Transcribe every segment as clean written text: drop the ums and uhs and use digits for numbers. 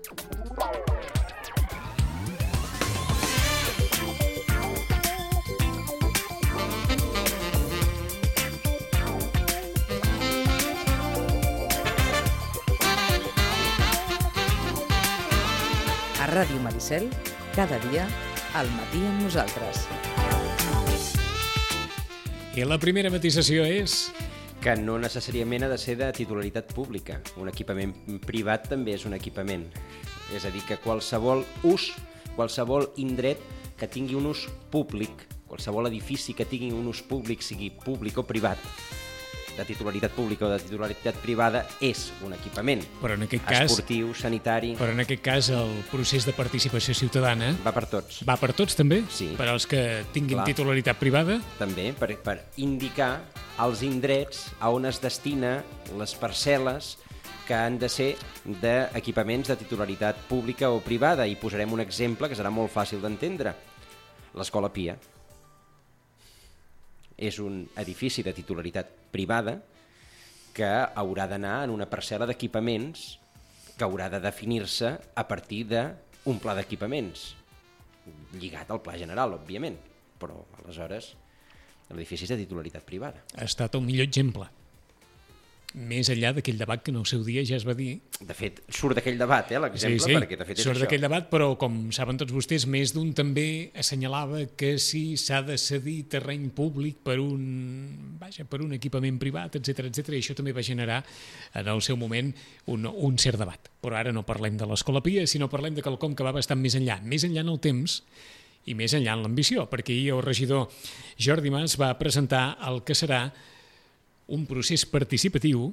A Ràdio Maricel, cada dia, al matí amb nosaltres. I la primera matisació és... que no necessàriament ha de ser de titularitat pública. Un equipament privat també és un equipament. És a dir, que qualsevol ús, qualsevol indret que tingui un ús públic, qualsevol edifici que tingui un ús públic, sigui públic o privat, de titularitat pública o de titularitat privada, és un equipament. Però en aquest cas... esportiu, sanitari... Però en aquest cas el procés de participació ciutadana... Va per tots. Va per tots, també? Sí. Per als que tinguin Clar. Titularitat privada? També, per indicar els indrets a on es destina les parcel·les que han de ser d'equipaments de titularitat pública o privada. I posarem un exemple que serà molt fàcil d'entendre. L'Escola Pia és un edifici de titularitat privada que haurà d'anar en una parcel·la d'equipaments que haurà de definir-se a partir d'un pla d'equipaments lligat al pla general, òbviament, però aleshores l'edifici és de titularitat privada. Ha estat el millor exemple. Més enllà d'aquell debat que en el seu dia ja es va dir... De fet, surt d'aquell debat, l'exemple, perquè de fet és surt això. d'aquell debat, però com saben tots vostès, més d'un també assenyalava que si s'ha de cedir terreny públic per un equipament privat, etc i això també va generar en el seu moment un cert debat. Però ara no parlem de l'Escola Pia, sinó parlem de quelcom que va bastant més enllà en el temps i més enllà en l'ambició, perquè ahir el regidor Jordi Mas va presentar el que serà un procés participatiu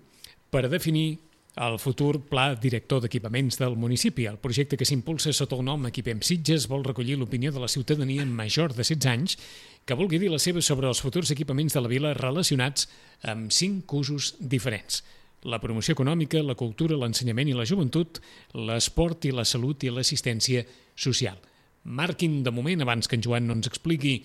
per definir el futur pla director d'equipaments del municipi. El projecte que s'impulsa sota el nom Equipem Sitges vol recollir l'opinió de la ciutadania major de 16 anys que vulgui dir la seva sobre els futurs equipaments de la vila relacionats amb 5 usos diferents. La promoció econòmica, la cultura, l'ensenyament i la joventut, l'esport i la salut i l'assistència social. Marquin de moment, abans que en Joan no ens expliqui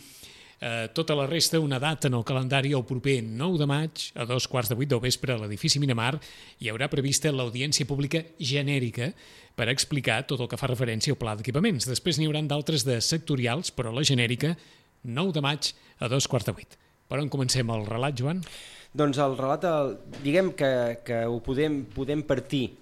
tota la resta, una data en el calendari el proper 9 de maig a 7:15 del vespre a l'edifici Miramar hi haurà prevista l'audiència pública genèrica per explicar tot el que fa referència al pla d'equipaments. Després n'hi haurà d'altres de sectorials, però la genèrica 9 de maig a 7:15. Per on comencem el relat, Joan? Doncs el relat, diguem que ho podem partir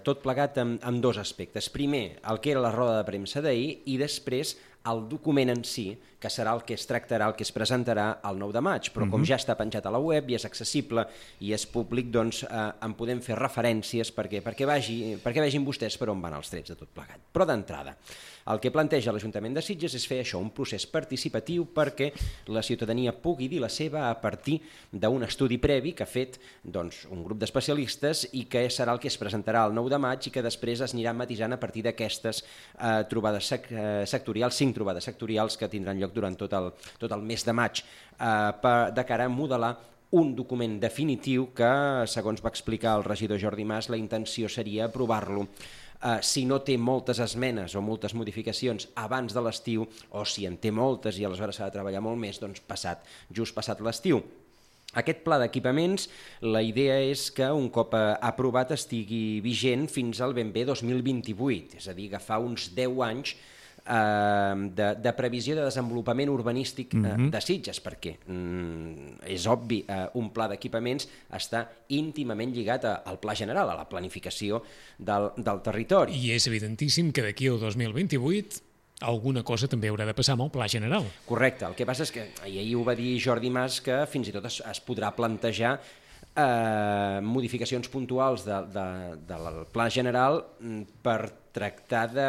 tot plegat amb dos aspectes. Primer, el que era la roda de premsa d'ahir i després el document en si, que serà el que es tractarà, el que es presentarà el 9 de maig, però com ja està penjat a la web i és accessible i és públic, doncs en podem fer referències perquè vegin vostès per on van els trets de tot plegat. Però d'entrada, el que planteja l'Ajuntament de Sitges és fer això, un procés participatiu perquè la ciutadania pugui dir la seva a partir d'un estudi previ que ha fet un grup d'especialistes i que serà el que es presentarà el 9 de maig i que després es anirà matisant a partir d'aquestes trobades sectorials, 5 trobades sectorials que tindran lloc durant tot el mes de maig de cara a modelar un document definitiu que, segons va explicar el regidor Jordi Mas, la intenció seria aprovar-lo si no té moltes esmenes o moltes modificacions abans de l'estiu, o si en té moltes i aleshores s'ha de treballar molt més, doncs just passat l'estiu. Aquest pla d'equipaments, la idea és que un cop aprovat estigui vigent fins al ben bé 2028, és a dir, agafar uns 10 anys de previsió de desenvolupament urbanístic de Sitges, perquè és obvi, un pla d'equipaments està íntimament lligat al pla general, a la planificació del territori. I és evidentíssim que d'aquí al 2028 alguna cosa també haurà de passar amb el pla general. Correcte, el que passa és que ahir ho va dir Jordi Mas, que fins i tot es podrà plantejar modificacions puntuals del pla general per tractar de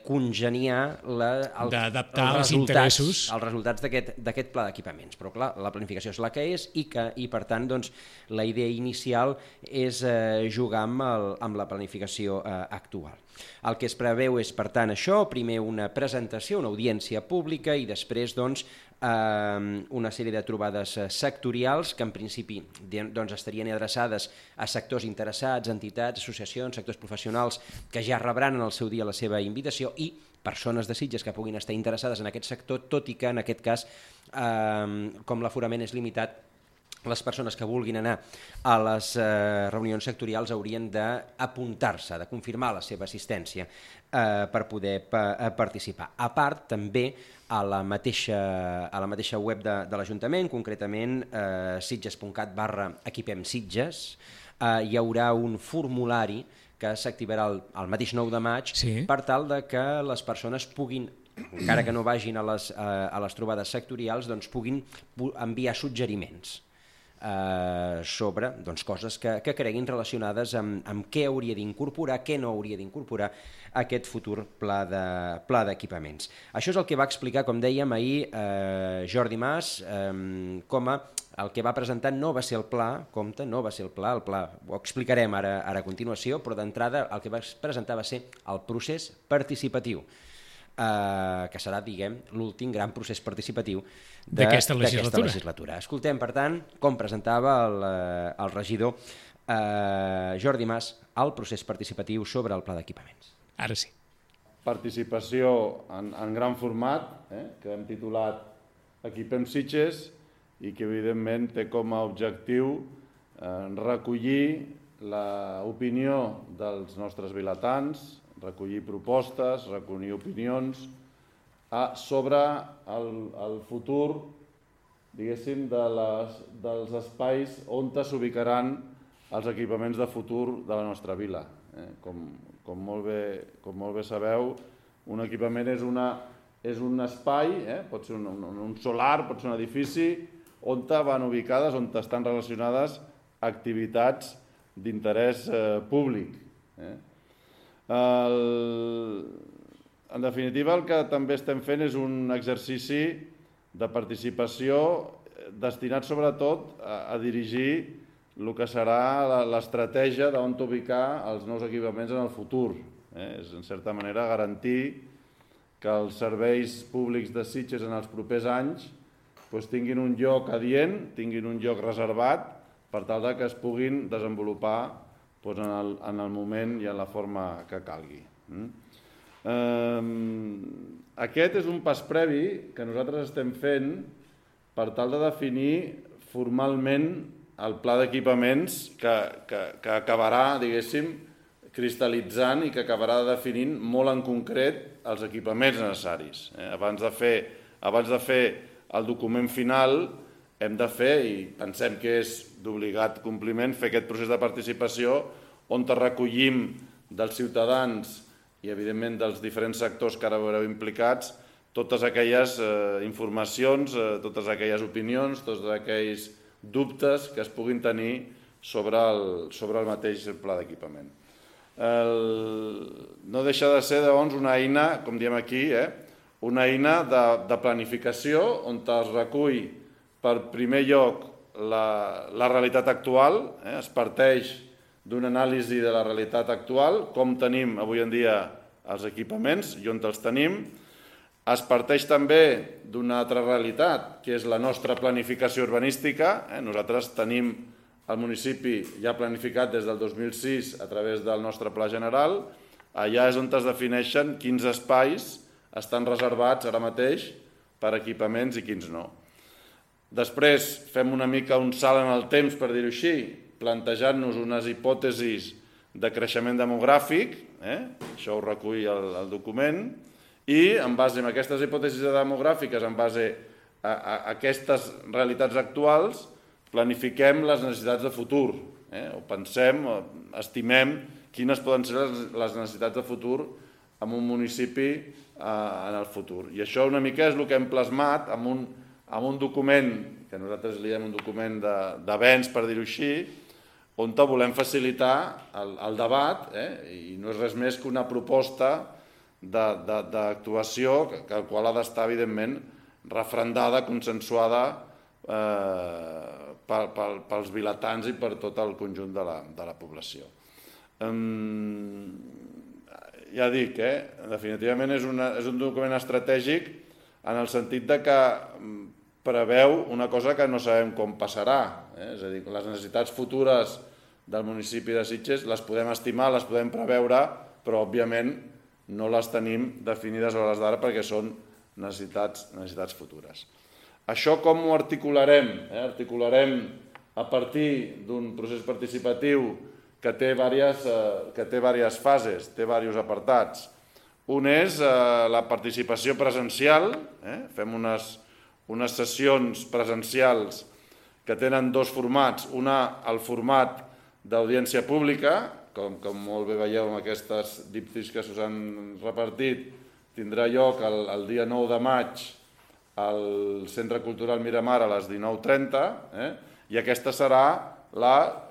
congeniar d'adaptar els interessos als resultats d'aquest pla d'equipaments. Però clar, la planificació és la que és i per tant la idea inicial és jugar amb la planificació actual. El que es preveu és, per tant, això, primer una presentació, una audiència pública i després una sèrie de trobades sectorials que en principi estarien adreçades a sectors interessats, entitats, associacions, sectors professionals que ja rebran en el seu dia la seva invitació i persones de Sitges que puguin estar interessades en aquest sector, tot i que en aquest cas, com l'aforament és limitat, les persones que vulguin anar a les reunions sectorials haurien d'apuntar-se, de confirmar la seva assistència per poder participar. A part, també, a la mateixa web de l'Ajuntament, concretament sitges.cat/equipemsitges, hi haurà un formulari que s'activarà el mateix 9 de maig per tal de que les persones puguin, encara que no vagin a les trobades sectorials, doncs puguin enviar suggeriments sobre coses que creguin relacionades amb què hauria d'incorporar, què no hauria d'incorporar aquest futur pla d'equipaments. Això és el que va explicar, com dèiem ahir, Jordi Mas, com el que va presentar no va ser el pla, compte, no va ser el pla ho explicarem ara a continuació, però d'entrada el que va presentar va ser el procés participatiu, que serà, diguem, l'últim gran procés participatiu d'aquesta legislatura. Escoltem, per tant, com presentava el regidor Jordi Mas el procés participatiu sobre el pla d'equipaments. Ara sí. Participació en gran format, que hem titulat Equipem Sitges, i que evidentment té com a objectiu recollir l'opinió dels nostres vilatans, recollir propostes, recollir opinions sobre el futur, diguéssim, dels espais on s'ubicaran els equipaments de futur de la nostra vila. Com molt bé sabeu, un equipament és un espai, pot ser un solar, pot ser un edifici, on van ubicades, on estan relacionades activitats d'interès públic. En definitiva, el que també estem fent és un exercici de participació destinat sobretot a dirigir el que serà l'estratègia d'on ubicar els nous equipaments en el futur. És, en certa manera, garantir que els serveis públics de Sitges en els propers anys tinguin un lloc adient, tinguin un lloc reservat, per tal que es puguin desenvolupar en el moment i en la forma que calgui. Aquest és un pas previ que nosaltres estem fent per tal de definir formalment el pla d'equipaments que acabarà, diguéssim, cristal·litzant i que acabarà definint molt en concret els equipaments necessaris. Abans de fer el document final hem de fer, i pensem que és d'obligat compliment, fer aquest procés de participació on recollim dels ciutadans i, evidentment, dels diferents sectors que ara veureu implicats totes aquelles informacions, totes aquelles opinions, tots aquells dubtes que es puguin tenir sobre el mateix pla d'equipament. No deixa de ser, doncs, una eina, com diem aquí, una eina de planificació on es recull per primer lloc la realitat actual, es parteix d'una anàlisi de la realitat actual, com tenim avui en dia els equipaments i on els tenim. Es parteix també d'una altra realitat, que és la nostra planificació urbanística. Nosaltres tenim el municipi ja planificat des del 2006 a través del nostre Pla General. Allà és on es defineixen quins espais estan reservats ara mateix per equipaments i quins no. Després fem una mica un salt en el temps, per dir-ho així, plantejant-nos unes hipòtesis de creixement demogràfic, això ho recull el document, i en base a aquestes hipòtesis demogràfiques, en base a aquestes realitats actuals, planifiquem les necessitats de futur, o pensem, estimem quines poden ser les necessitats de futur en un municipi en el futur. I això una mica és el que hem plasmat en un document, que nosaltres li diem un document d'avenç, per dir-ho així, on volem facilitar el debat, i no és res més que una proposta d'actuació que el qual ha d'estar, evidentment, refrendada, consensuada pels vilatans i per tot el conjunt de la població. Ja dic, definitivament és un document estratègic en el sentit que preveu una cosa que no sabem com passarà. És a dir, les necessitats futures del municipi de Sitges les podem estimar, les podem preveure, però òbviament no les tenim definides a hores d'ara perquè són necessitats futures. Això com ho articularem? Articularem a partir d'un procés participatiu que té diverses fases, té diversos apartats. Un és la participació presencial, fem unes sessions presencials que tenen dos formats, el format d'audiència pública, com molt bé veieu amb aquestes díptics que us han repartit, tindrà lloc el dia 9 de maig al Centre Cultural Miramar a les 19:30, i aquesta serà la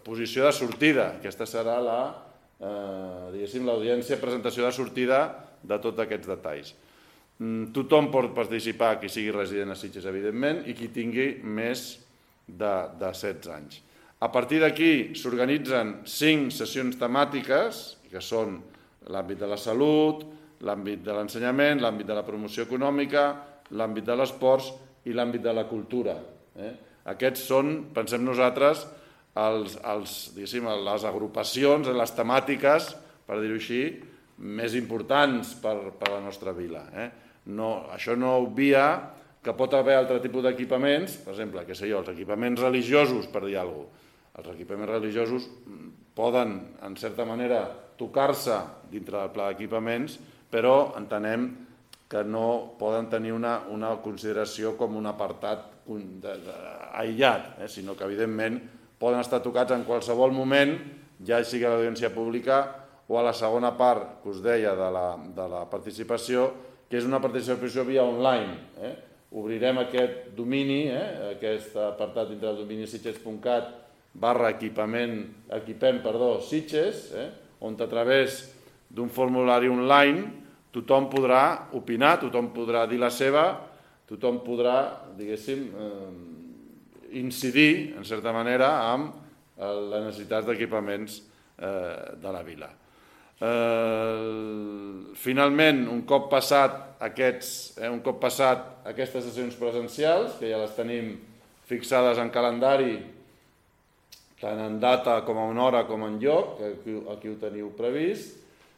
posició de sortida, aquesta serà l'audiència, presentació de sortida de tots aquests detalls. Tothom pot participar, qui sigui resident a Sitges, evidentment, i qui tingui més de 16 anys. A partir d'aquí s'organitzen 5 sessions temàtiques, que són l'àmbit de la salut, l'àmbit de l'ensenyament, l'àmbit de la promoció econòmica, l'àmbit de l'esports i l'àmbit de la cultura. Aquests són, pensem nosaltres, les agrupacions, les temàtiques, per dir-ho així, més importants per a la nostra vila. Això no obvia que pot haver altre tipus d'equipaments, per exemple, els equipaments religiosos, per dir alguna cosa. Els equipaments religiosos poden, en certa manera, tocar-se dintre del pla d'equipaments, però entenem que no poden tenir una consideració com un apartat aïllat, sinó que, evidentment, poden estar tocats en qualsevol moment, ja sigui a l'audiència pública o a la segona part que us deia de la participació, que és una participació via online. Obrirem aquest domini, aquest apartat dintre del domini sitges.cat/equipem Sitges, on a través d'un formulari online tothom podrà opinar, tothom podrà dir la seva, tothom podrà, diguéssim, incidir, en certa manera, amb les necessitats d'equipaments de la vila. Finalment, un cop passat aquestes sessions presencials, que ja les tenim fixades en calendari, tant en data com en hora com en lloc, aquí ho teniu previst,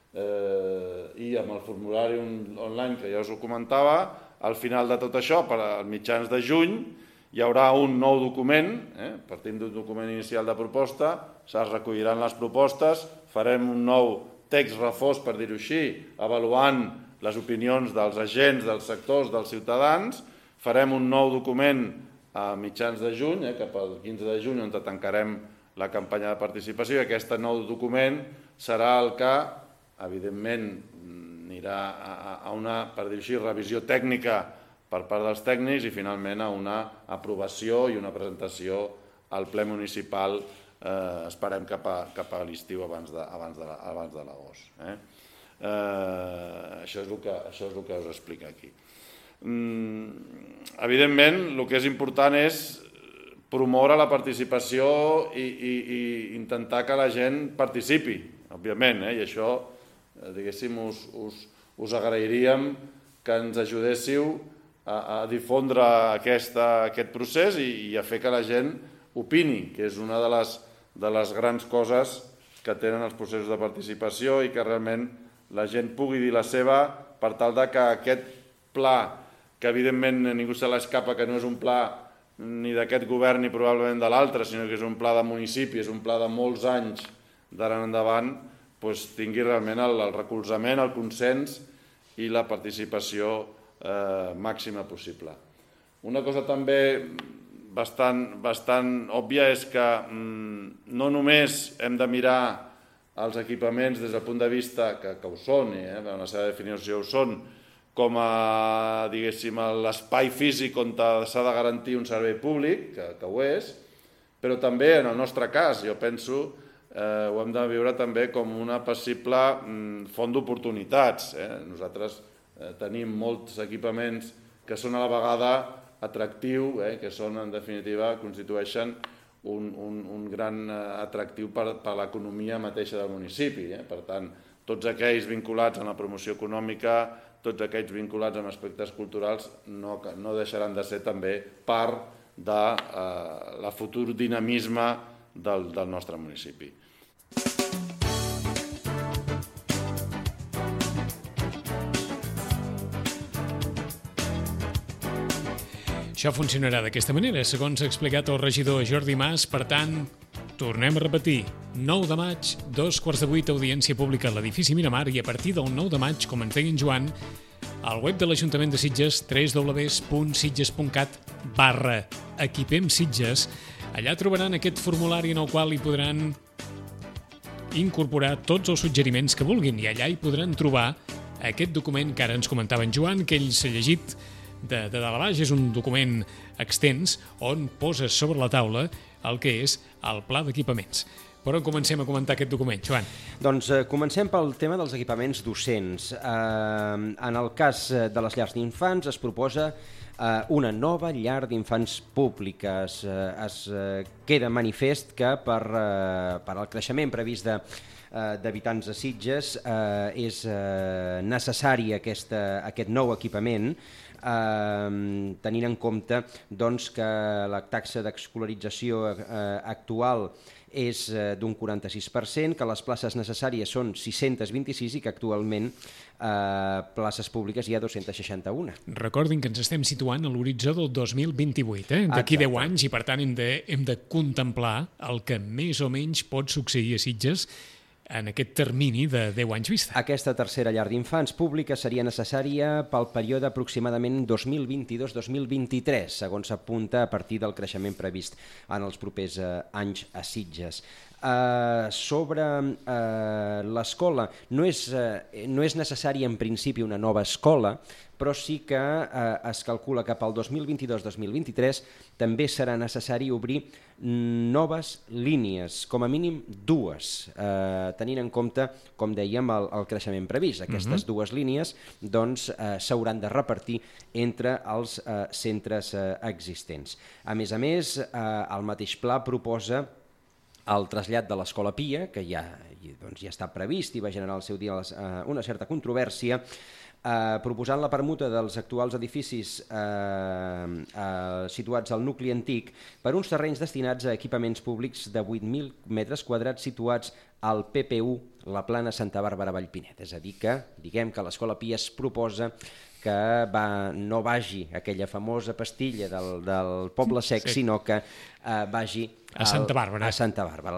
i amb el formulari online que ja us ho comentava, al final de tot això, per als mitjans de juny, hi haurà un nou document, partim d'un document inicial de proposta, es recolliran les propostes, farem un nou text refós, per dir-ho així, avaluant les opinions dels agents, dels sectors, dels ciutadans, farem un nou document a mitjans de juny, cap al 15 de juny, on tancarem la campanya de participació, i aquest nou document serà el que, evidentment, anirà a una, per dir-ho així, revisió tècnica per part dels tècnics i finalment a una aprovació i una presentació al ple municipal, esperem cap a l'estiu abans de l'agost. Això és el que us explica aquí. Evidentment, el que és important és promoure la participació i intentar que la gent participi, òbviament, i això, diguéssim, us agrairíem que ens ajudéssiu a difondre aquest procés i a fer que la gent opini, que és una de les grans coses que tenen els processos de participació i que realment la gent pugui dir la seva per tal que aquest pla, que evidentment ningú se l'escapa que no és un pla ni d'aquest govern ni probablement de l'altre, sinó que és un pla de municipi, és un pla de molts anys d'ara endavant, tingui realment el recolzament, el consens i la participació màxima possible. Una cosa també bastant òbvia és que no només hem de mirar els equipaments des del punt de vista que ho són, en la seva definició ho són, com a, diguéssim, l'espai físic on s'ha de garantir un servei públic, que ho és, però també, en el nostre cas, jo penso, ho hem de viure també com una possible font d'oportunitats. Nosaltres tenim molts equipaments que són a la vegada atractius, que són, en definitiva, constitueixen un gran atractiu per a l'economia mateixa del municipi. Per tant, tots aquells vinculats a la promoció econòmica, tots aquells vinculats amb aspectes culturals no deixaran de ser també part del futur dinamisme del nostre municipi. Això funcionarà d'aquesta manera, segons ha explicat el regidor Jordi Mas. Per tant, tornem a repetir, 9 de maig, 7:15, audiència pública a l'edifici Miramar, i a partir del 9 de maig, com ens deia en Joan, al web de l'Ajuntament de Sitges, www.sitges.cat/equipemsitges, allà trobaran aquest formulari en el qual hi podran incorporar tots els suggeriments que vulguin, i allà hi podran trobar aquest document que ara ens comentava en Joan, que ell s'ha llegit de dalt a baix. És un document extens on poses sobre la taula el que és el pla d'equipaments. Però comencem a comentar aquest document, Joan. Doncs comencem pel tema dels equipaments docents. En el cas de les llars d'infants es proposa una nova llar d'infants públiques. Es queda manifest que per al creixement previst d'habitants de Sitges és necessari aquest nou equipament, tenint en compte doncs, que la taxa d'escolarització actual és d'un 46%, que les places necessàries són 626 i que actualment places públiques hi ha 261. Recordin que ens estem situant a l'horitzó del 2028, d'aquí 10 anys, i per tant hem de contemplar el que més o menys pot succeir a Sitges en aquest termini de 10 anys vista. Aquesta tercera llar d'infants pública seria necessària pel període aproximadament 2022-2023, segons s'apunta a partir del creixement previst en els propers anys a Sitges. Sobre l'escola, no és necessari en principi una nova escola, però sí que es calcula que pel 2022-2023 també serà necessari obrir noves línies, com a mínim 2, tenint en compte, com dèiem, el creixement previst. Aquestes 2 línies doncs, s'hauran de repartir entre els centres existents. A més, el mateix pla proposa el trasllat de l'Escola Pia, que ja està previst i va generar al seu dia una certa controvèrsia, proposant la permuta dels actuals edificis situats al nucli antic per uns terrenys destinats a equipaments públics de 8.000 metres quadrats situats al PP1, la plana Santa Bàrbara Vallpinet. És a dir que, diguem que l'Escola Pia es proposa que no vagi aquella famosa pastilla del Poble Sec, sinó que vagi a Santa Bàrbara, a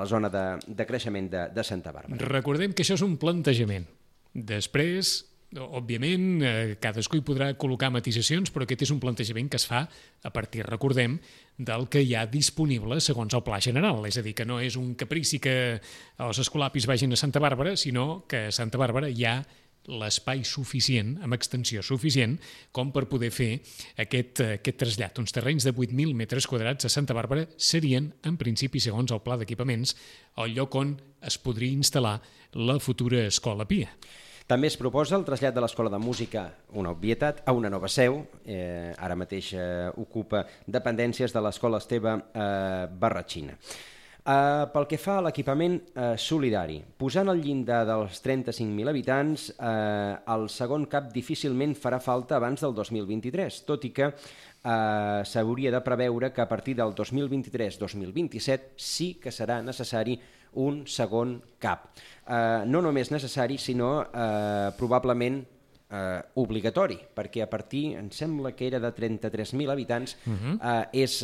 la zona de creixement de Santa Bàrbara. Recordem que això és un plantejament. Després, òbviament, cadascú hi podrà col·locar matisacions, però aquest és un plantejament que es fa a partir, recordem, del que hi ha disponible segons el pla general. És a dir, que no és un caprici que els escolapis vagin a Santa Bàrbara, sinó que a Santa Bàrbara hi ha l'espai suficient, amb extensió suficient, com per poder fer aquest trasllat. Uns terrenys de 8.000 metres quadrats a Santa Bàrbara serien, en principi, segons el pla d'equipaments, el lloc on es podria instal·lar la futura Escola Pia. També es proposa el trasllat de l'Escola de Música, una obvietat, a una nova seu. Ara mateix ocupa dependències de l'Escola Esteve Barratxina. Pel que fa a l'equipament solidari, posant el llindar dels 35.000 habitants, el segon CAP difícilment farà falta abans del 2023, tot i que s'hauria de preveure que a partir del 2023-2027 sí que serà necessari un segon CAP. No només necessari, sinó probablement obligatori, perquè a partir, em sembla que era de 33.000 habitants, és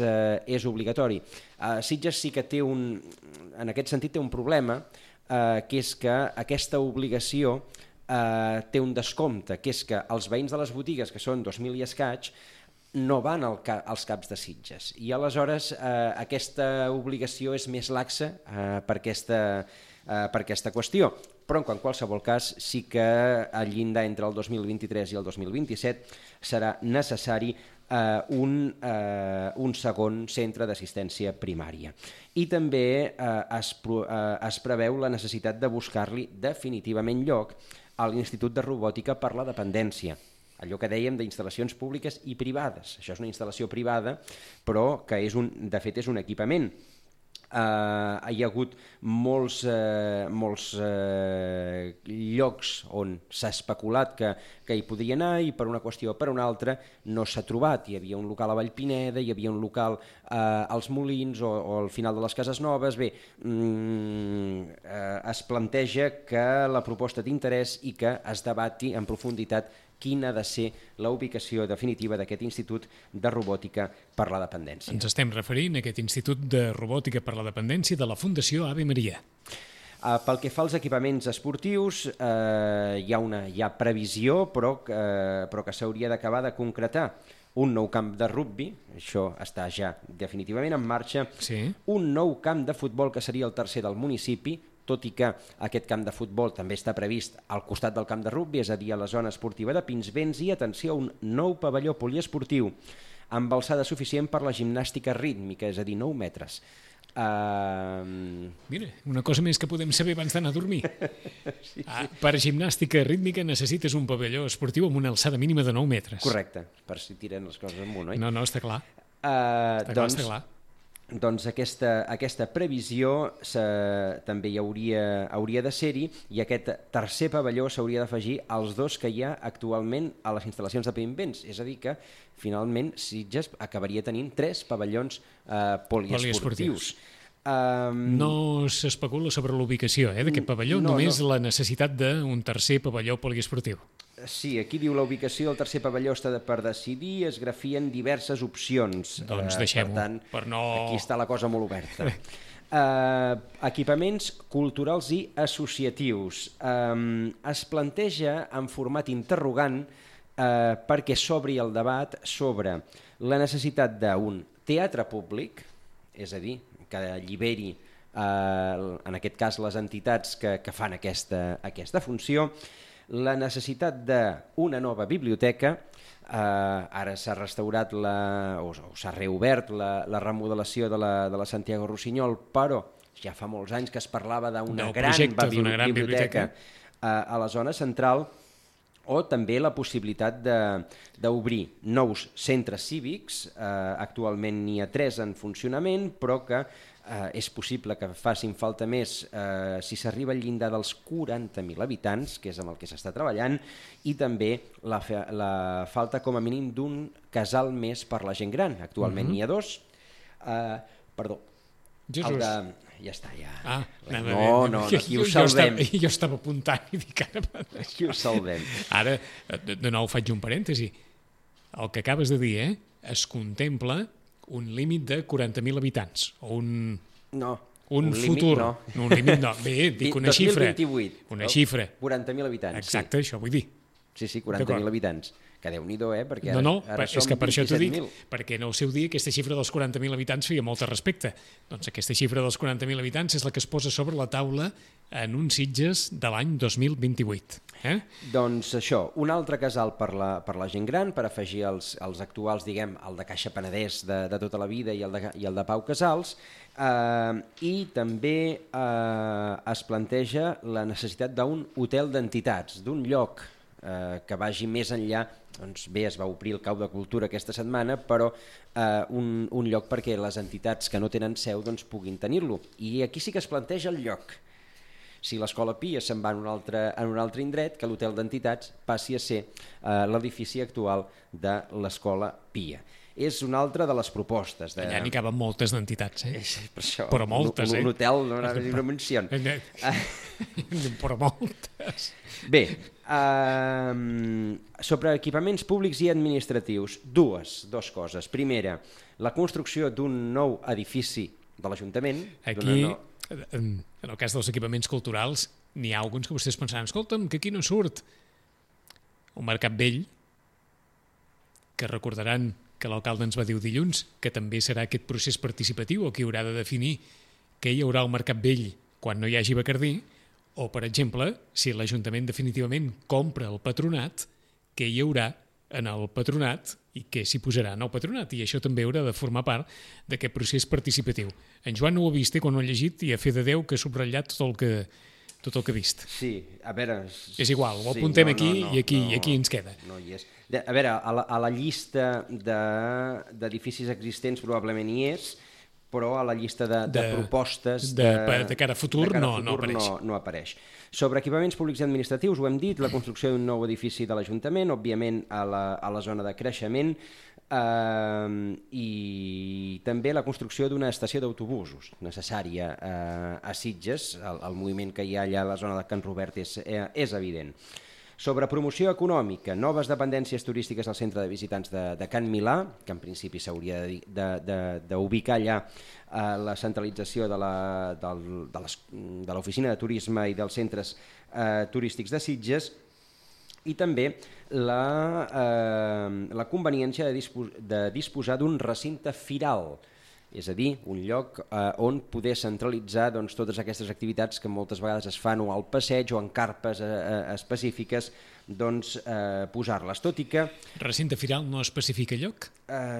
obligatori. Sitges sí que té en aquest sentit té un problema, que és que aquesta obligació té un descompte, que és que els veïns de les botigues, que són 2.000 i escaig, no van als CAPs de Sitges. I aleshores aquesta obligació és més laxa per aquesta qüestió. Però en qualsevol cas sí que el llindar entre el 2023 i el 2027 serà necessari un segon centre d'assistència primària. I també es preveu la necessitat de buscar-li definitivament lloc a l'Institut de Robòtica per la Dependència. Allò que dèiem d'instal·lacions públiques i privades. Això és una instal·lació privada, però que de fet és un equipament. Hi ha hagut molts llocs on s'ha especulat que hi podria anar i per una qüestió o per una altra no s'ha trobat. Hi havia un local a Vallpineda, hi havia un local els molins o al final de les cases noves. Bé, es planteja que la proposta d'interès i que es debati en profunditat quina ha de ser la ubicació definitiva d'aquest Institut de Robòtica per la Dependència. Ens estem referint a aquest Institut de Robòtica per la Dependència de la Fundació Ave Maria. Pel que fa als equipaments esportius, hi ha previsió, però que s'hauria d'acabar de concretar un nou camp de rugbi, això està ja definitivament en marxa, un nou camp de futbol que seria el tercer del municipi, tot i que aquest camp de futbol també està previst al costat del camp de rugbi, és a dir, a la zona esportiva de Pinsbens, i atenció, un nou pavelló poliesportiu amb alçada suficient per la gimnàstica rítmica, és a dir, 9 metres. Mira, una cosa més que podem saber abans d'anar a dormir. Per gimnàstica rítmica necessites un pavelló esportiu amb una alçada mínima de 9 metres. Correcte, per si tiren les coses amunt, oi? No, està clar. Està clar. Doncs aquesta previsió també hi hauria de ser-hi, i aquest tercer pavelló s'hauria d'afegir als 2 que hi ha actualment a les instal·lacions de Pinsbens, és a dir que finalment Sitges acabaria tenint 3 pavellons poliesportius. No s'especula sobre l'ubicació d'aquest pavelló, només la necessitat d'un tercer pavelló poliesportiu. Sí, aquí diu la ubicació del tercer pavelló està per decidir, es grafien diverses opcions. Doncs deixem-ho, per tant, per no... aquí està la cosa molt oberta. Equipaments culturals i associatius. Es planteja en format interrogant perquè s'obri el debat sobre la necessitat d'un teatre públic, és a dir, que alliberi en aquest cas les entitats que fan aquesta funció, la necessitat d'una nova biblioteca. Ara s'ha restaurat o s'ha reobert la remodelació de la Santiago Rossinyol, però ja fa molts anys que es parlava d'una gran biblioteca a la zona central, o també la possibilitat d'obrir nous centres cívics. Actualment n'hi ha 3 en funcionament, però que és possible que facin falta més si s'arriba al llindar dels 40.000 habitants, que és amb el que s'està treballant, i també la falta com a mínim d'un casal més per la gent gran. Actualment n'hi ha 2. Perdó. Jesús. Ja està, ja. No, aquí ho salvem. Jo estava apuntant i dic ara... Aquí ho salvem. Ara, de nou faig un parèntesi. El que acabes de dir, es contempla un límit de 40.000 habitants, o un futur. Un límit no. Bé, dic una xifra. 2028. Una xifra. 40.000 habitants. Exacte, això vull dir. Sí, 40.000 habitants. Que Déu-n'hi-do, perquè ara és que per això t'ho dic, 27.000. perquè en el seu dia aquesta xifra dels 40.000 habitants feia molt respecte. Doncs aquesta xifra dels 40.000 habitants és la que es posa sobre la taula en un Sitges de l'any 2028. Doncs això, un altre casal per la gent gran, per afegir els actuals, diguem, el de Caixa Penedès de tota la vida i el de Pau Casals, i també es planteja la necessitat d'un hotel d'entitats, d'un lloc que vagi més enllà. Doncs bé, es va obrir el Cau de Cultura aquesta setmana, però un lloc perquè les entitats que no tenen seu puguin tenir-lo. I aquí sí que es planteja el lloc. Si l'Escola Pia se'n va en un altre indret, que l'hotel d'entitats passi a ser l'edifici actual de l'Escola Pia. És una altra de les propostes. Allà n'hi caben moltes d'entitats, Per això, però moltes, un hotel no és una menció. Però moltes. Bé, sobre equipaments públics i administratius, dues coses. Primera, la construcció d'un nou edifici de l'Ajuntament. Aquí, en el cas dels equipaments culturals, n'hi ha alguns que vostès pensaran, escolta'm, que aquí no surt un Mercat Vell, que recordaran que l'alcalde ens va dir dilluns, que també serà aquest procés participatiu el que haurà de definir què hi haurà al Mercat Vell quan no hi hagi Bacardí, o, per exemple, si l'Ajuntament definitivament compra el patronat, què hi haurà en el patronat i què s'hi posarà en el patronat, i això també haurà de formar part d'aquest procés participatiu. En Joan no ho ha vist quan ho ha llegit i a fe de Déu que ha subratllat tot el que ha vist. Sí, a veure... És igual, ho apuntem aquí i aquí ens queda. No hi és. A veure, a la llista d'edificis existents probablement hi és, però a la llista de propostes de cara a futur no apareix. No apareix. Sobre equipaments públics i administratius, ho hem dit, la construcció d'un nou edifici de l'Ajuntament, òbviament a la zona de creixement. I també la construcció d'una estació d'autobusos necessària a Sitges. El moviment que hi ha allà a la zona de Can Robert és evident. Sobre promoció econòmica, noves dependències turístiques al centre de visitants de Can Milà, que en principi s'hauria d'ubicar allà la centralització de l'oficina de turisme i dels centres turístics de Sitges, i també la conveniència de disposar d'un recinte firal, és a dir, un lloc on poder centralitzar totes aquestes activitats que moltes vegades es fan o al passeig o en carpes específiques, posar-les, tot i que... Recinte firal no especifica lloc?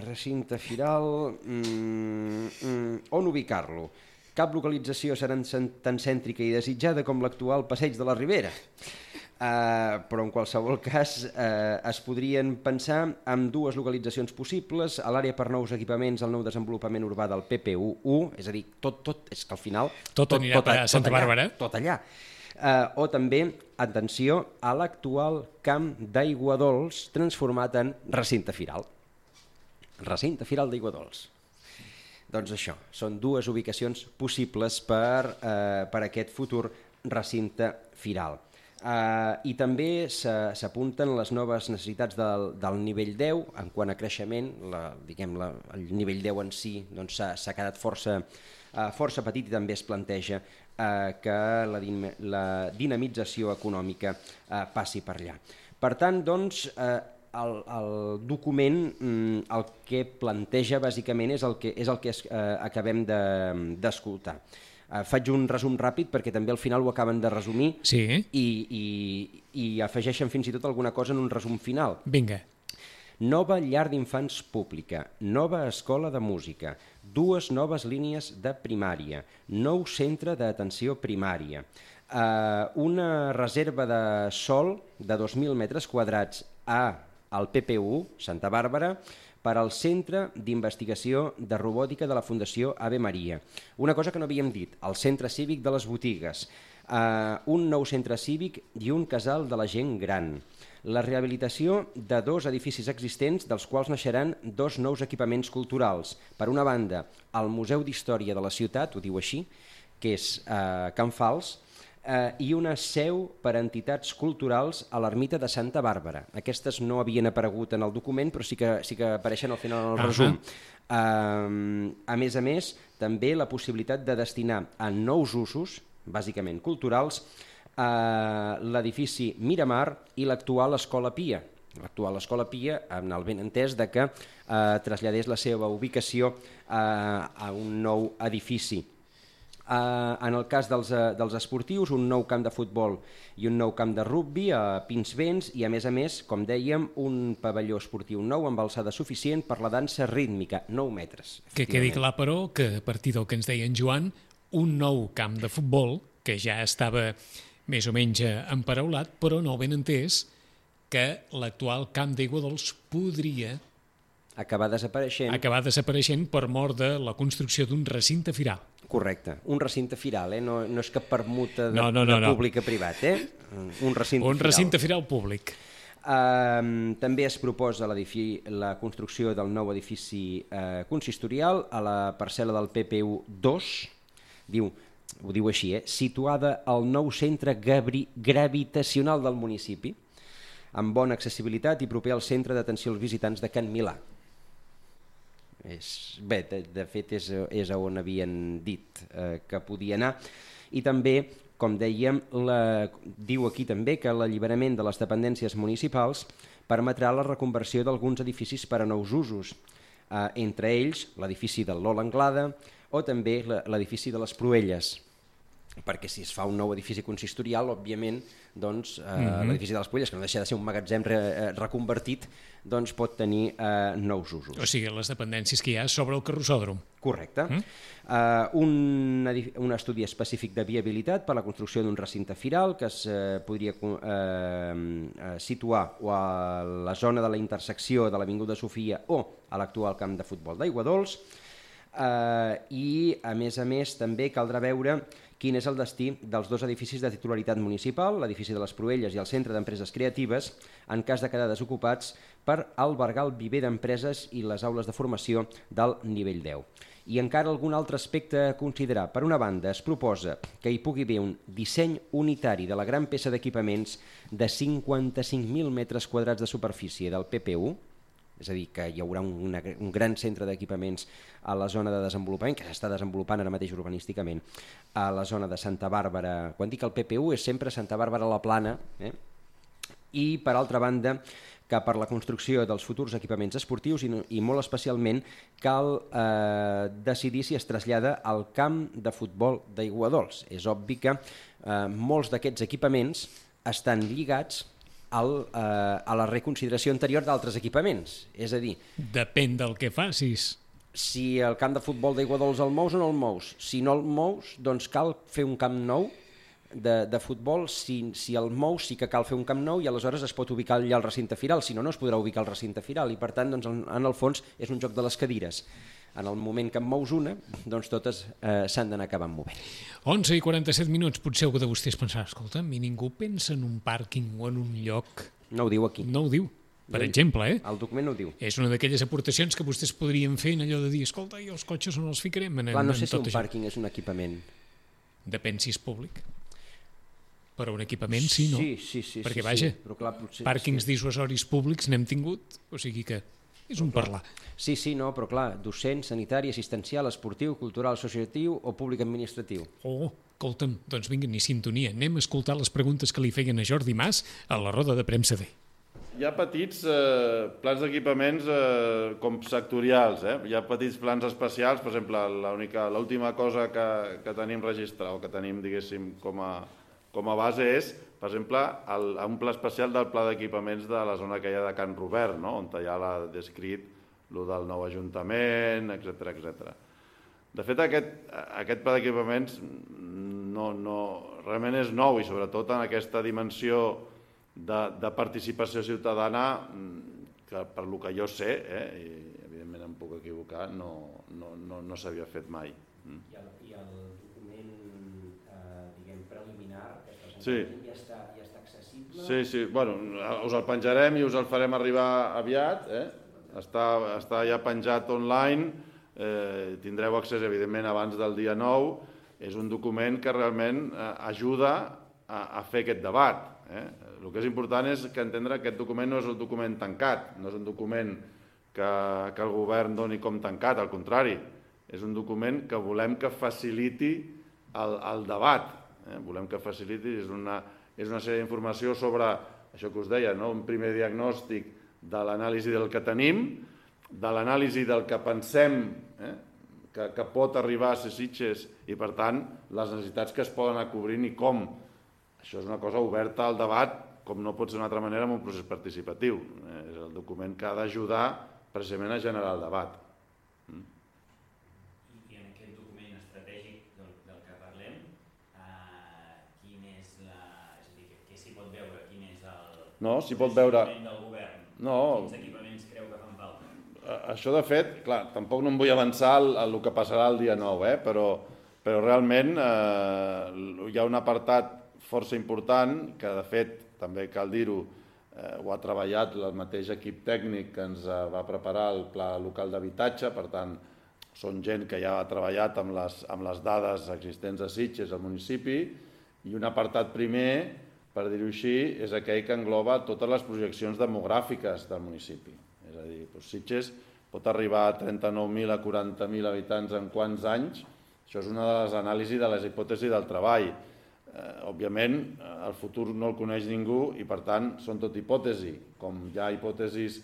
Recinte firal... on ubicar-lo? Cap localització serà tan cèntrica i desitjada com l'actual passeig de la Ribera. Però en qualsevol cas es podrien pensar en dues localitzacions possibles: a l'àrea per nous equipaments, el nou desenvolupament urbà del PPU1, és a dir, tot és que al final tot anirà a Santa Bàrbara, tot allà, o també, atenció, a l'actual camp d'aigua dolç transformat en recinte firal d'aigua dolç. Doncs això, són dues ubicacions possibles per aquest futur recinte firal. I també s'apunten les noves necessitats del nivell 10 en quant a creixement. El nivell 10 en si s'ha quedat força petit i també es planteja que la dinamització econòmica passi per allà. Per tant, el document el que planteja bàsicament és el que acabem d'escoltar. Faig un resum ràpid perquè també al final ho acaben de resumir, sí. I afegeixen fins i tot alguna cosa en un resum final. Vinga. Nova llar d'infants pública, nova escola de música, 2 noves línies de primària, nou centre d'atenció primària, una reserva de sòl de 2.000 metres quadrats al PPU, Santa Bàrbara, per al Centre d'Investigació de Robòtica de la Fundació Ave Maria. Una cosa que no havíem dit, el Centre Cívic de les Botigues, un nou centre cívic i un casal de la gent gran, la rehabilitació de 2 edificis existents, dels quals naixeran 2 nous equipaments culturals. Per una banda, el Museu d'Història de la Ciutat, ho diu així, que és Can Fals, i una seu per a entitats culturals a l'ermita de Santa Bàrbara. Aquestes no havien aparegut en el document, però sí que apareixen al final en el resum. A més, també la possibilitat de destinar a nous usos, bàsicament culturals, l'edifici Miramar i l'actual Escola Pia. L'actual Escola Pia, amb el benentès de que traslladés la seva ubicació a un nou edifici. En el cas dels esportius, un nou camp de futbol i un nou camp de rugbi a Pinsbens i, a més, com dèiem, un pavelló esportiu nou amb alçada suficient per la dansa rítmica, 9 metres. Que quedi clar, però, que a partir del que ens deia en Joan, un nou camp de futbol, que ja estava més o menys emparaulat, però no ben entès que l'actual camp d'Aigua Dols podria acabar desapareixent per mort de la construcció d'un recinte firal. Correcte, un recinte firal, no és cap permuta de públic a privat, un recinte firal públic. També es proposa la construcció del nou edifici consistorial a la parcel·la del PPU 2, ho diu així, situada al nou centre gravitacional del municipi, amb bona accessibilitat i proper al centre d'atenció als visitants de Can Milà. Bé, de fet és on havien dit que podia anar. I també, com dèiem, diu aquí també que l'alliberament de les dependències municipals permetrà la reconversió d'alguns edificis per a nous usos, entre ells l'edifici del Lola Anglada o també l'edifici de les Proelles, perquè si es fa un nou edifici consistorial, òbviament, l'edifici de les Proelles, que no deixa de ser un magatzem reconvertit, pot tenir nous usos. O sigui, les dependències que hi ha sobre el carrossòdrom. Correcte. Un estudi específic de viabilitat per a la construcció d'un recinte firal que es podria situar o a la zona de la intersecció de l'Avinguda Sofia o a l'actual camp de futbol d'Aigua Dols. I, a més, també caldrà veure quin és el destí dels 2 edificis de titularitat municipal, l'edifici de les Proelles i el Centre d'Empreses Creatives, en cas de quedar desocupats, per albergar el viver d'empreses i les aules de formació del nivell 10. I encara algun altre aspecte a considerar. Per una banda, es proposa que hi pugui haver un disseny unitari de la gran peça d'equipaments de 55.000 metres quadrats de superfície del PPU, és a dir, que hi haurà un gran centre d'equipaments a la zona de desenvolupament, que s'està desenvolupant ara mateix urbanísticament, a la zona de Santa Bàrbara. Quan dic el PPU és sempre Santa Bàrbara la Plana, i per altra banda que per la construcció dels futurs equipaments esportius i molt especialment cal decidir si es trasllada al camp de futbol d'Aiguadols. És obvi que molts d'aquests equipaments estan lligats a la reconsideració anterior d'altres equipaments. És a dir, depèn del que facis. Si el camp de futbol d'Aiguadols el mous o no el mous. Si no el mous, doncs cal fer un camp nou de futbol. Si el mous sí que cal fer un camp nou i aleshores es pot ubicar allà al recinte firal, si no, no es podrà ubicar al recinte firal i per tant, doncs, en el fons és un joc de les cadires. En el moment que en mous una, doncs totes s'han d'anar acabant movent. 11:47, potser algú de vostès pensarà, escolta, i ningú pensa en un pàrquing o en un lloc... No ho diu aquí. No ho diu. Per exemple, el document no ho diu. És una d'aquelles aportacions que vostès podrien fer en allò de dir, escolta, i els cotxes on els ficarem? Clar, no sé si un pàrquing és un equipament. Depèn si és públic. Però un equipament sí, no? Sí. Perquè, vaja, però clar, potser, pàrquings dissuasoris públics n'hem tingut, o sigui que és un parlar. Sí, no, però clar, docent, sanitari, assistencial, esportiu, cultural, associatiu o públic administratiu. Oh, escolta'm, doncs vinga, ni sintonia. Anem a escoltar les preguntes que li feien a Jordi Mas a la roda de premsa D. Hi ha petits plans d'equipaments com sectorials, hi ha petits plans especials, per exemple, l'última cosa que tenim registrat o que tenim, diguéssim, com a base és, per exemple, un pla especial del pla d'equipaments de la zona que hi ha de Can Robert, no? On ja l'ha descrit el del nou ajuntament, etc. De fet, aquest pla d'equipaments realment és nou i sobretot en aquesta dimensió de participació ciutadana que per lo que jo sé, i evidentment em puc equivocar, no s'havia fet mai. I el document, diguem, preliminar que presentem ja està accessible? Sí, bueno, us el penjarem i us el farem arribar aviat, està ja penjat online, tindreu accés evidentment abans del dia 9, és un document que realment ajuda a fer aquest debat. El que és important és que entendre que aquest document no és un document tancat, no és un document que el govern doni com tancat, al contrari, és un document que volem que faciliti el debat, volem que faciliti, és una sèrie d'informació sobre això que us deia, un primer diagnòstic de l'anàlisi del que tenim, de l'anàlisi del que pensem que pot arribar a ser Sitges i, per tant, les necessitats que es poden anar cobrint i com. Això és una cosa oberta al debat, com no pot ser d'una altra manera, en un procés participatiu. És el document que ha d'ajudar precisament a generar el debat. I en aquest document estratègic del que parlem, quin és és a dir, què s'hi pot veure? Quin és el s'hi pot veure del govern? Quins equipaments creu que fan falta? Això, de fet, clar, tampoc no em vull avançar el que passarà el dia 9, però realment hi ha un apartat força important que, de fet, també cal dir-ho, ho ha treballat el mateix equip tècnic que ens va preparar el Pla Local d'Habitatge, per tant, són gent que ja ha treballat amb les dades existents a Sitges, al municipi, i un apartat primer, per dir-ho així, és aquell que engloba totes les projeccions demogràfiques del municipi. És a dir, Sitges pot arribar a 39.000 a 40.000 habitants en quants anys? Això és una de les anàlisis de les hipòtesis del treball. Òbviament, el futur no el coneix ningú i, per tant, són tot hipòtesi, com hi ha hipòtesis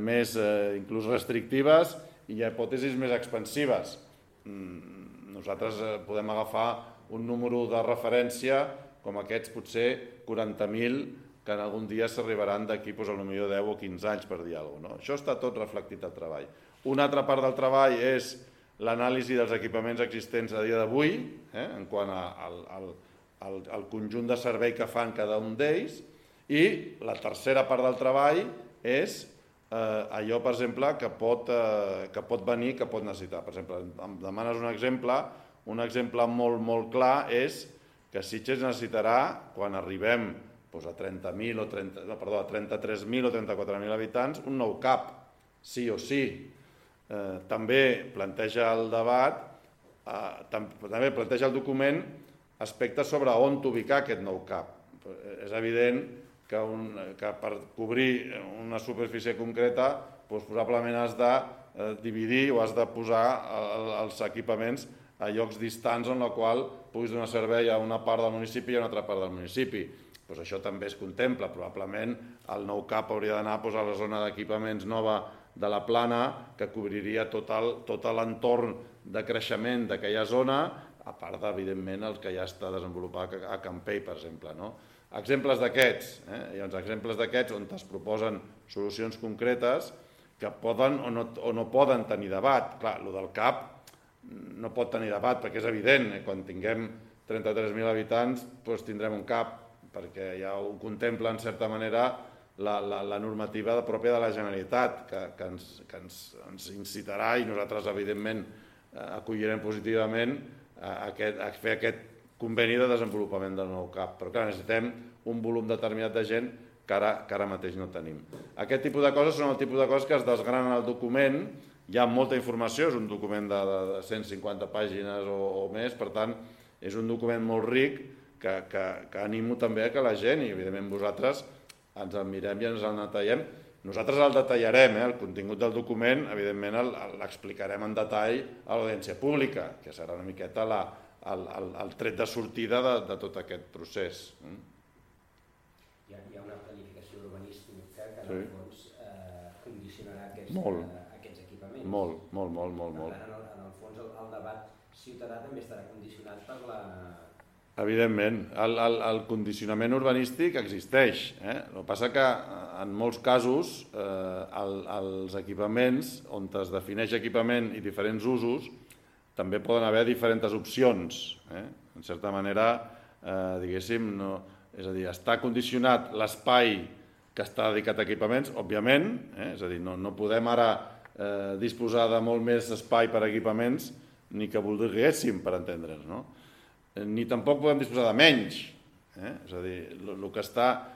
més inclús restrictives i hi ha hipòtesis més expansives. Nosaltres podem agafar un número de referència com aquests, potser 40.000, que en algun dia s'arribaran d'aquí potser 10 o 15 anys, per dir alguna cosa. Això està tot reflectit al treball. Una altra part del treball és l'anàlisi dels equipaments existents a dia d'avui, en quant al conjunt de servei que fan cada un d'ells, i la tercera part del treball és allò, per exemple, que pot venir, que pot necessitar. Per exemple, em demanes un exemple, un exemple molt clar és que Sitges necessitarà, quan arribem a 33.000 o 34.000 habitants, un nou CAP, sí o sí. També planteja el debat, també planteja el document aspectes sobre on ubicar aquest nou CAP. És evident que per cobrir una superfície concreta probablement has de dividir o has de posar els equipaments a llocs distants en la qual puguis donar servei a una part del municipi i a una altra part del municipi. Això també es contempla. Probablement el nou CAP hauria d'anar a la zona d'equipaments nova de la Plana, que cobriria tot l'entorn de creixement d'aquella zona, a part evidentment el que ja està desenvolupat a Campell, per exemple. Exemples d'aquests, exemples d'aquests on es proposen solucions concretes que poden o no poden tenir debat. Clar, el del CAP no pot tenir debat perquè és evident, quan tinguem 33.000 habitants tindrem un CAP, perquè ja ho contempla en certa manera la normativa pròpia de la Generalitat, que ens incitarà, i nosaltres evidentment acollirem positivament, a fer aquest conveni de desenvolupament del nou CAP. Però clar, necessitem un volum determinat de gent que ara mateix no tenim. Aquest tipus de coses són el tipus de coses que es desgranen al document. Hi ha molta informació, és un document de 150 pàgines o més, per tant, és un document molt ric que animo també que la gent, i evidentment vosaltres, ens el mirem i ens el detallem. Nosaltres el detallarem, el contingut del document, evidentment l'explicarem en detall a l'audiència pública, que serà una miqueta el tret de sortida de tot aquest procés. Hi ha una planificació urbanística que en el fons condicionarà aquests equipaments. Molt. Per tant, en el fons el debat ciutadà també estarà condicionat per la... Evidentment, el condicionament urbanístic existeix. El que passa que en molts casos els equipaments, on es defineix equipament i diferents usos, també poden haver diferents opcions. En certa manera, diguéssim, és a dir, està condicionat l'espai que està dedicat a equipaments, òbviament, és a dir, no podem ara disposar de molt més espai per a equipaments ni que volguéssim, per entendre'ns, no? Ni tampoc podem disposar de menys. És a dir, el que està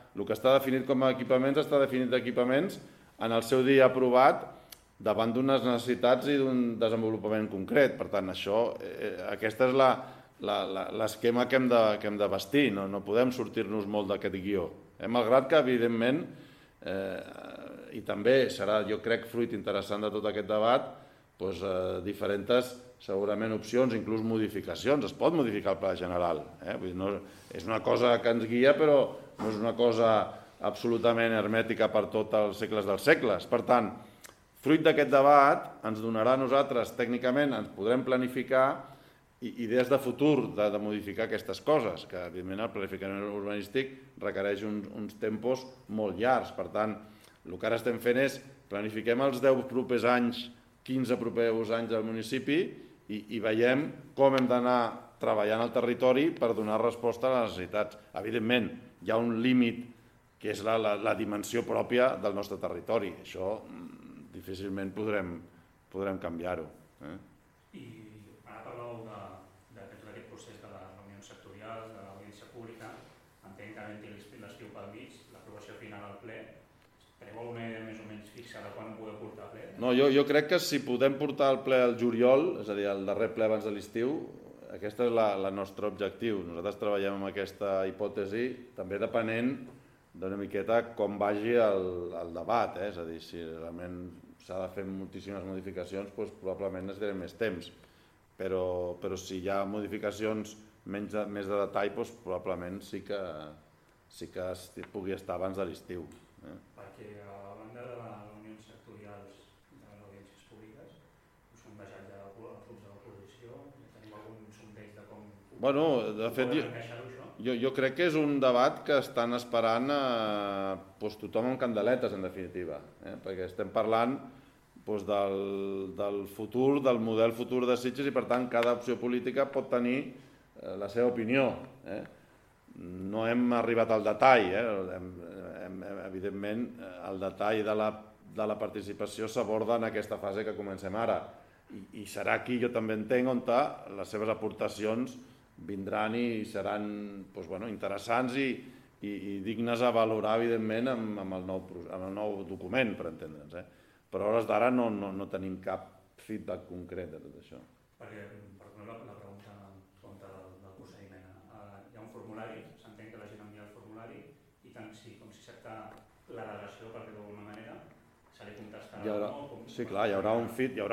definit com a equipaments està definit d'equipaments en el seu dia aprovat davant d'unes necessitats i d'un desenvolupament concret. Per tant, aquest és l'esquema que hem de vestir. No podem sortir-nos molt d'aquest guió. Malgrat que, evidentment, i també serà, jo crec, fruit interessant de tot aquest debat, diferents segurament opcions, inclús modificacions. Es pot modificar el pla general. És una cosa que ens guia, però no és una cosa absolutament hermètica per tots els segles dels segles. Per tant, fruit d'aquest debat ens donarà a nosaltres, tècnicament, ens podrem planificar idees de futur de modificar aquestes coses, que evidentment el planificament urbanístic requereix uns tempos molt llargs. Per tant, el que ara estem fent és planifiquem els 10 propers anys, 15 propers anys del municipi i veiem com hem d'anar treballant al territori per donar resposta a les necessitats. Evidentment, hi ha un límit que és la dimensió pròpia del nostre territori. Això difícilment podrem canviar-ho. I ara parleu d'aquest procés de les reunions sectorials, de l'audiència pública. Entenc que havent-hi l'estiu pel mig, l'aprovació final al ple, preveu una idea més o menys fixa de quan ho podeu portar al ple? No, jo crec que si podem portar el ple al juliol, és a dir, el darrer ple abans de l'estiu, aquest és el nostre objectiu. Nosaltres treballem amb aquesta hipòtesi, també depenent d'una miqueta com vagi el debat. És a dir, si realment s'ha de fer moltíssimes modificacions, probablement necessitarem més temps. Però si hi ha modificacions més de detall, probablement sí que pugui estar abans de l'estiu. Perquè a banda de les reunions sectorials de les audiències públiques, us han deixat ja els grups de l'oposició? Teniu algun sondeig de com De fet, encaixar-ho, això? jo crec que és un debat que estan esperant tothom amb candeletes, en definitiva, perquè estem parlant del futur, del model futur de Sitges, i per tant cada opció política pot tenir la seva opinió. No hem arribat al detall, evidentment el detall de la participació s'aborda en aquesta fase que comencem ara. I serà aquí, jo també entenc, on les seves aportacions vindran i seran interessants i dignes a valorar, evidentment, amb el nou document, per entendre'ns. Però a hores d'ara no tenim cap feedback concret de tot això. Perquè, per exemple, la pregunta del procediment. Hi ha un formulari, s'entén que la gent envia el formulari i tant com si accepta la delegació, per dir-ho d'alguna manera, se li contestarà o no? Sí, clar, hi haurà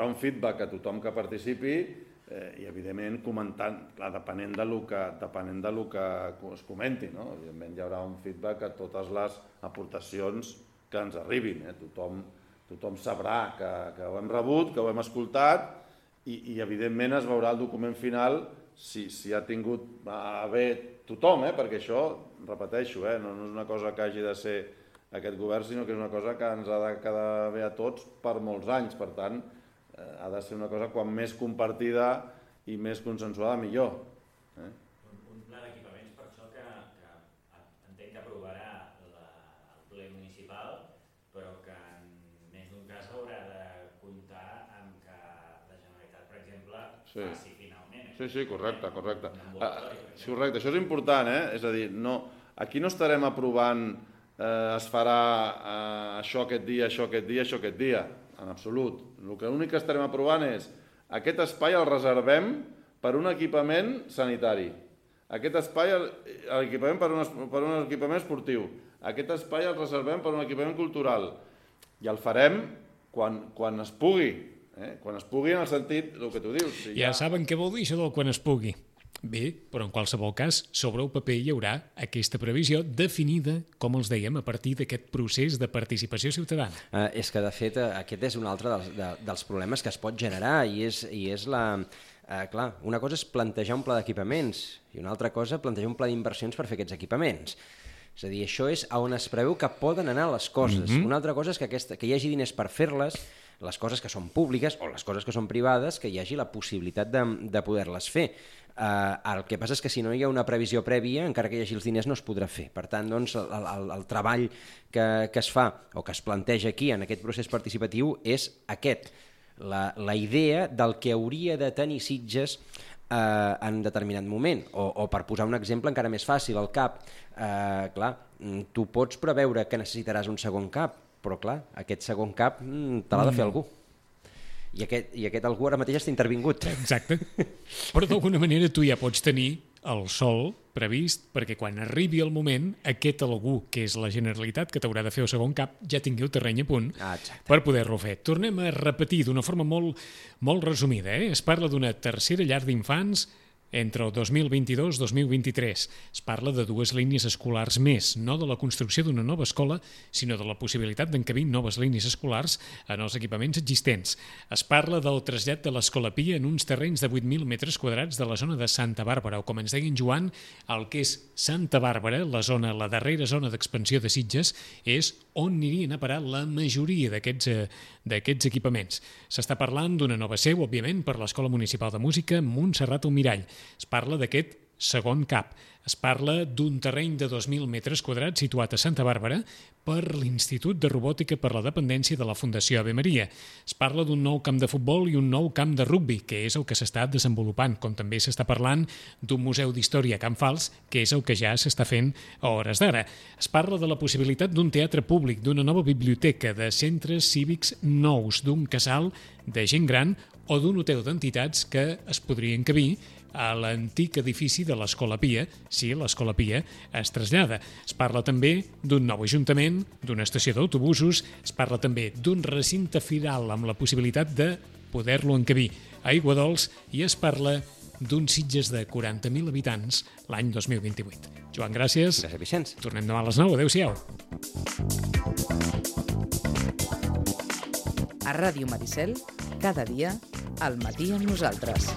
un feedback a tothom que participi i, evidentment, comentant, depenent del que es comenti, no? Evidentment, hi haurà un feedback a totes les aportacions que ens arribin. Tothom sabrà que ho hem rebut, que ho hem escoltat i evidentment, es veurà el document final si ha tingut a bé tothom, perquè això, repeteixo, no és una cosa que hagi de ser aquest govern, sinó que és una cosa que ens ha de quedar bé a tots per molts anys. Per tant, ha de ser una cosa quan més compartida i més consensuada, millor. Un pla d'equipaments, per això, que entenc que aprovarà el ple municipal, però que en més d'un cas haurà de comptar amb que la Generalitat, per exemple, faci finalment. Sí, correcte. Sí, correcte, això és important, és a dir, aquí no estarem aprovant es farà això aquest dia, en absolut. L'únic que estarem aprovant és aquest espai el reservem per un equipament sanitari, aquest espai l'equipament per un equipament esportiu, aquest espai el reservem per un equipament cultural i el farem quan es pugui, quan es pugui en el sentit del que tu dius. Ja saben què vol dir això del quan es pugui. Bé, però en qualsevol cas, sobre el paper hi haurà aquesta previsió definida, com els dèiem, a partir d'aquest procés de participació ciutadana. És que, de fet, aquest és un altre dels problemes que es pot generar i és la... Clar, una cosa és plantejar un pla d'equipaments i una altra cosa plantejar un pla d'inversions per fer aquests equipaments. És a dir, això és on es preveu que poden anar les coses. Una altra cosa és que hi hagi diners per fer-les, les coses que són públiques o les coses que són privades, que hi hagi la possibilitat de poder-les fer. El que passa és que si no hi ha una previsió prèvia, encara que hi hagi els diners, no es podrà fer. Per tant, doncs, el treball que es fa o que es planteja aquí en aquest procés participatiu és aquest, la idea del que hauria de tenir Sitges en determinat moment. O per posar un exemple encara més fàcil, el CAP. Clar, tu pots preveure que necessitaràs un segon CAP, però clar, aquest segon CAP te l'ha de fer algú. I aquest algú ara mateix està intervingut. Exacte. Però d'alguna manera tu ja pots tenir el sòl previst perquè quan arribi el moment aquest algú, que és la Generalitat, que t'haurà de fer el segon CAP, ja tingui el terreny a punt per poder-lo fer. Tornem a repetir d'una forma molt resumida. Es parla d'una tercera llar d'infants entre el 2022-2023. Es parla de 2 línies escolars més, no de la construcció d'una nova escola, sinó de la possibilitat d'encabir noves línies escolars en els equipaments existents. Es parla del trasllat de l'Escola Pia en uns terrenys de 8.000 metres quadrats de la zona de Santa Bàrbara, o com ens deia en Joan, el que és Santa Bàrbara, la darrera zona d'expansió de Sitges, és on anirien a parar la majoria d'aquests equipaments. S'està parlant d'una nova seu, òbviament, per l'Escola Municipal de Música Montserrat Almirall. Es parla d'aquest segon CAP. Es parla d'un terreny de 2.000 metres quadrats situat a Santa Bàrbara per l'Institut de Robòtica per la Dependència de la Fundació Ave Maria. Es parla d'un nou camp de futbol i un nou camp de rugbi, que és el que s'està desenvolupant, com també s'està parlant d'un museu d'història a Can Fals, que és el que ja s'està fent a hores d'ara. Es parla de la possibilitat d'un teatre públic, d'una nova biblioteca, de centres cívics nous, d'un casal de gent gran o d'un hotel d'entitats que es podrien encabir a l'antic edifici de l'Escola Pia, si l'Escola Pia es trasllada. Es parla també d'un nou ajuntament, d'una estació d'autobusos, es parla també d'un recinte firal amb la possibilitat de poder-lo encabir a Aiguadols i es parla d'un Sitges de 40.000 habitants l'any 2028. Joan, gràcies. Gràcies, Vicenç. Tornem demà a les 9. Adéu-siau. A Ràdio Maricel, cada dia, al matí amb nosaltres.